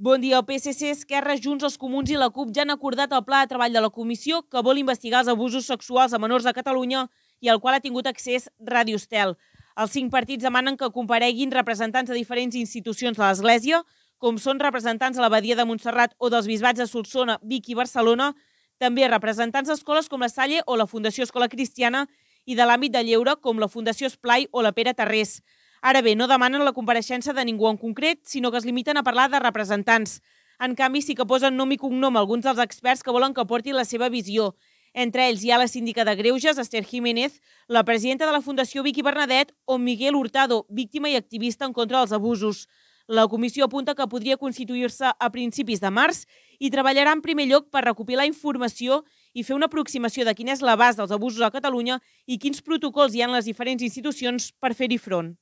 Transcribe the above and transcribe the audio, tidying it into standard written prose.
Bon dia. El PSC, Esquerra, Junts, els Comuns i la CUP ja han acordat el pla de treball de la comissió que vol investigar els abusos sexuals a menors de Catalunya i al qual ha tingut accés Ràdio Estel. Els 5 partits demanen que compareguin representants de diferents institucions de l'Església, com són representants de l'Abadia de Montserrat o dels bisbats de Solsona, Vic i Barcelona, també representants d'escoles com la Salle o la Fundació Escola Cristiana i de l'àmbit de lleure com la Fundació Esplai o la Pere Tarrés. Ara bé, no demanen la compareixença de ningú en concret, sinó que es limiten a parlar de representants. En canvi, sí que posen nom i cognom alguns dels experts que volen que portin la seva visió. Entre ells hi ha la síndica de Greuges, Esther Jiménez, la presidenta de la Fundació Vicky Bernadet o Miguel Hurtado, víctima i activista en contra dels abusos. La comissió apunta que podria constituir-se a principis de març i treballarà en primer lloc per recopilar informació i fer una aproximació de quin és l'abast dels abusos a Catalunya i quins protocols hi ha en les diferents institucions per fer-hi front.